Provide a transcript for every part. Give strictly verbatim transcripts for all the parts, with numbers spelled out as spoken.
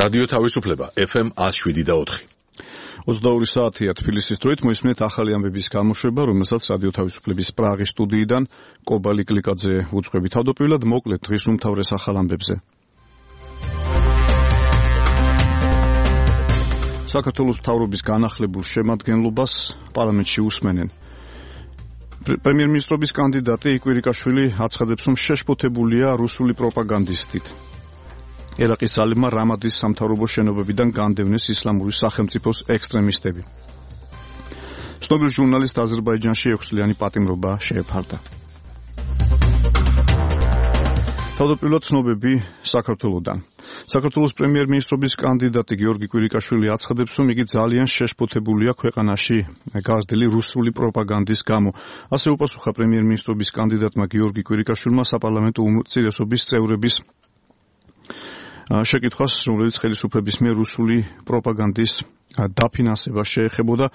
რადიო თავისუფლება ეფ ემ one oh seven და four. ოცდაორი საათია თბილისის დროით მოისმენთ ახალი ამბების გამოშვება, რომელსაც რადიო თავისუფლების პრაღის სტუდიიდან კობალი კლიკაძე უძღვები. თავდაპირველად მოკლედ დღის უმთავრეს ახალ ამბებზე. საქართველოს მთავრობის განახლებულ შემადგენლობას პარლამენტში უსმენენ. პრემიერ-მინისტრობის კანდიდატი იკვირიკაშვილი აცხადებს, რომ შეშფოთებულია რუსული პროპაგანდისტით. ერაყის ძალებმა რამადის სამთავრობო შენობებიდან განდევნეს ისლამური სახელმწიფოს ექსტრემისტები. ცნობილ ჟურნალისტ აზერბაიჯანში ექვსწლიანი პატიმრობა შეეფარდა. თავდაპირველად ცნობები საქართველოდან. საქართველოს პრემიერ-მინისტრობის კანდიდატი გიორგი კვირიკაშვილი აცხადებს, რომ იგი ძალიან შეშფოთებულია ქვეყანაში გაზრდილი რუსული პროპაგანდის გამო. ასე უპასუხა პრემიერ-მინისტრობის კანდიდატმა გიორგი კვირიკაშვილმა საპარლამენტო უმრავლესობის წევრების შეკითხვას, რომელიც ხელისუფლების მიერ რუსული პროპაგანდის დაფინანსება შეეხებოდა.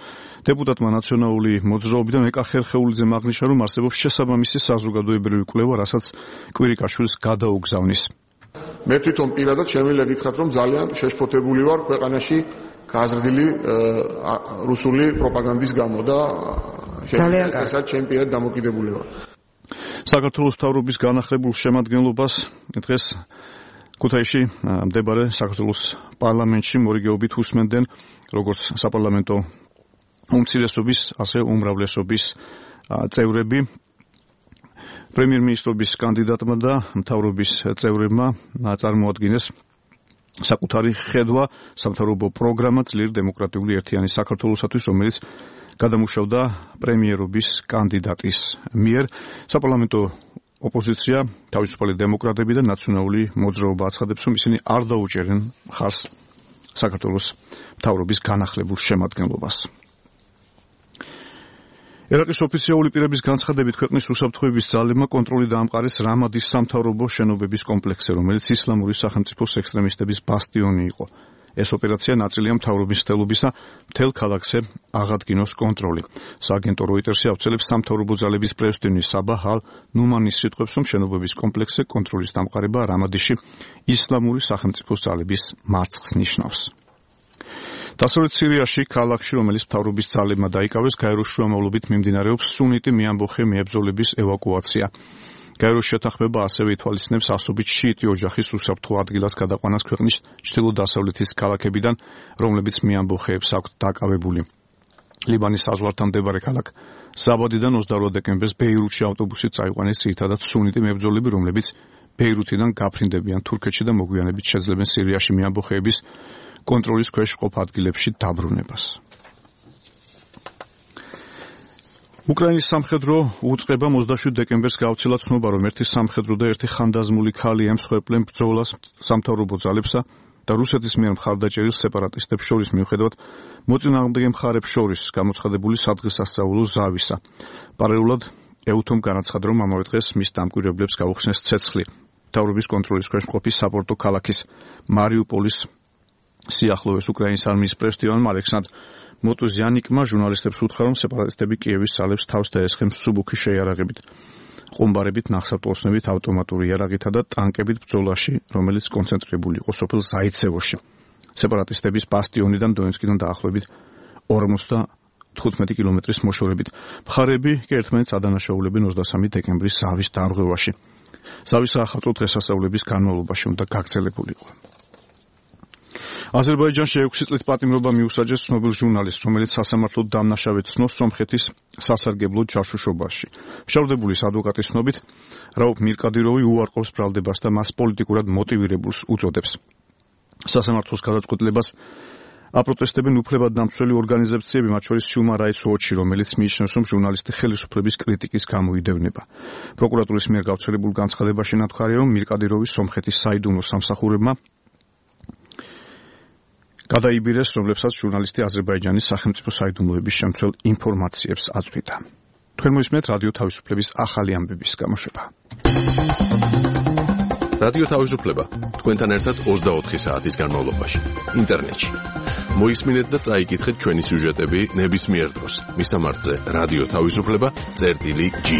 დეპუტატმა ნაციონალური მოძრაობიდან ეკა ხერხეულიძემ აღნიშნა, რომ არსებობს შესაბამისი საზოგადოებრივი კვლევა, რასაც კვირიკაშვილს გადაუგზავნის. მე თვითონ პირადად შემიძლია გითხრათ, რომ ძალიან შეშფოთებული ვარ ქვეყანაში გაზრდილი რუსული პროპაგანდის გამო და ესაც ჩემი პირად დამოკიდებული ვარ. საქართველოს მთავრობის განახლებულ შემადგენლობას დღეს ქუთაისში მდებარე საქართველოს პარლამენტში მორიგეობით უსმენდნენ როგორც საპარლამენტო უმცირესობის, ასე უმრავლესობის წევრები. პრემიერ-მინისტრობის კანდიდატმა და მთავრობის წევრებმა წარმოადგინეს საკუთარი ხედვა სამთავრობო პროგრამა ძლიერ დემოკრატიული ერთიანი საქართველოსათვის, რომელიც გადამუშავდა პრემიერობის კანდიდატის მიერ. საპარლამენტო ოპოზიცია, თავისუფალი დემოკრატები და ნაციონალური მოძრაობა აცხადებს, რომ ისინი არ დაუჭერენ მხარს საქართველოს მთავრობის განახლებულ შემადგენლობას. ერაყის ოფიციალური პირების განცხადებით, ქვეყნის უსაფრთხოების ძალებმა კონტროლი დაამყარეს რამადის სამთავრობო შენობების კომპლექსზე, რომელიც ისლამური სახელმწიფოს ექსტრემისტების ბასტიონი იყო. ეს ოპერაცია ნაწილია მთავრობის მცდელობისა მთელ ქალაქზე აღადგინოს კონტროლი. სააგენტო როიტერსი ავრცელებს სამთავრობო ძალების პრეზიდენტის საბაჰ ალ-ნუმანის სიტყვებს, რომ შენობების კომპლექსზე კონტროლის დამყარება რამადიში ისლამური სახელმწიფოს ძალების მარცხს ნიშნავს. დასავლეთ სირიაში, ქალაქში, რომელიც მთავრობის ძალებმა დაიკავეს, გაეროს შუამავლობით მიმდინარეობს სუნიტი მეამბოხე მიებრძოლების ევაკუაცია. გაეროს შეთანხმება ასევე ითვალისწინებს ასობით შიიტი ოჯახის უსაფრთხო ადგილას გადაყვანას ქვეყნის ჩრდილო-დასავლეთის ქალაქებიდან, რომლებიც მეამბოხეებს აქვთ დაკავებული. ლიბანის საზღვართან მდებარე ქალაქ ზაბადიდან ოცდაორ დეკემბერს ბეირუთში ავტობუსით წაიყვანეს ძირითადად სუნიტი მებრძოლები, რომლებიც ბეირუთიდან გაფრინდებიან თურქეთში და მოგვიანებით შეძლებენ სირიაში მეამბოხეების კონტროლის ქვეშ მყოფ ადგილებში დაბრუნებას. უკრაინის სამხედრო უწყებამ ოცდაშვიდ დეკემბერს გაავრცელა ცნობა, რომ ერთი სამხედრო და ერთი ხანდაზმული ხალი ემსხვერპლენ ბრძოლას სამთავრობო ძალებსა და რუსეთის მიერ მხარდაჭერილ სეპარატისტებს შორის, მიუხედავად მოწინააღმდეგე მხარებს შორის გამოცხადებული სადღესასწაულო ზავისა. პარალელურად ეუთომ განაცხადა, რომ ამავე დღეს მის დამკვირვებლებს გაუხსნეს ცეცხლი მთავრობის კონტროლის ქვეშ მყოფი საპორტო ქალაქის მარიუპოლის სიახლოვეს. უკრაინის არმიის პრეზიდენტმა ალექსანდრ მოტუზიანიკმა ჟურნალისტებს უთხრა, რომ სეპარატისტები კიევის ძალებს თავს დაესხნენ მსუბუქი შეიარაღებით, ყუმბარებით, ნახსავტოსნებით, ავტომატური იარაღითა და ტანკებით ბრძოლაში, რომელიც კონცენტრირებული იყო სოფელ ზაიცევოში. სეპარატისტების ბასტიონიდან დონეცკიდან დაახლოებით ორმოცდათხუთმეტი კილომეტრის მოშორებით. მხარეები კი ერთმანეთს ადანაშაულებენ ოცდასამი დეკემბრის ზავის დარღვევაში. ზავის საახალწლო დღესასწაულების განმავლობაში უნდა გაგრძელებულიყო. აზერბაიჯანში ექვსი წლით პატიმრობა მიუსაჯეს ცნობილ ჟურნალისტს, რომელიც სასამართლოდ დამნაშავედ ცნობს სომხეთის სასარგებლო ჯაშუშობაში. მშავდებულის ადვოკატის ცნობით, რაუფ მირკადიროვი უარყოფს ბრალდებას და მას პოლიტიკურად მოტივირებულს უწოდებს. სასამართლოს გადაწყვეტილებას აპროტესტებენ უფლებადდამცველი ორგანიზაციები, მათ შორის Human Rights Watch, რომელიც მიიჩნევს, რომ ჟურნალისტი ხელისუფლების კრიტიკის გამოიდევნება. პროკურატურის მიერ გავრცელებულ განცხადებაში ნათქვამია, რომ მირკადიროვი სომხეთის საიდუმლო სამსახურებმა გადაიბირეს, რომლებსაც ჟურნალისტი აზერბაიჯანის სახელმწიფო საიდუმლოების შემცველ ინფორმაციებს აწვდიდა. თქვენ მოისმენთ რადიო თავისუფლების ახალი ამბების გამოშვება. რადიო თავისუფლება თქვენთან ერთად ოცდაოთხი საათის განმავლობაში ინტერნეტში. მოისმინეთ და წაიკითხეთ ჩვენი სიუჟეტები ნებისმიერ დროს. მისამართზე რადიო თავისუფლება წერტილი ჯი.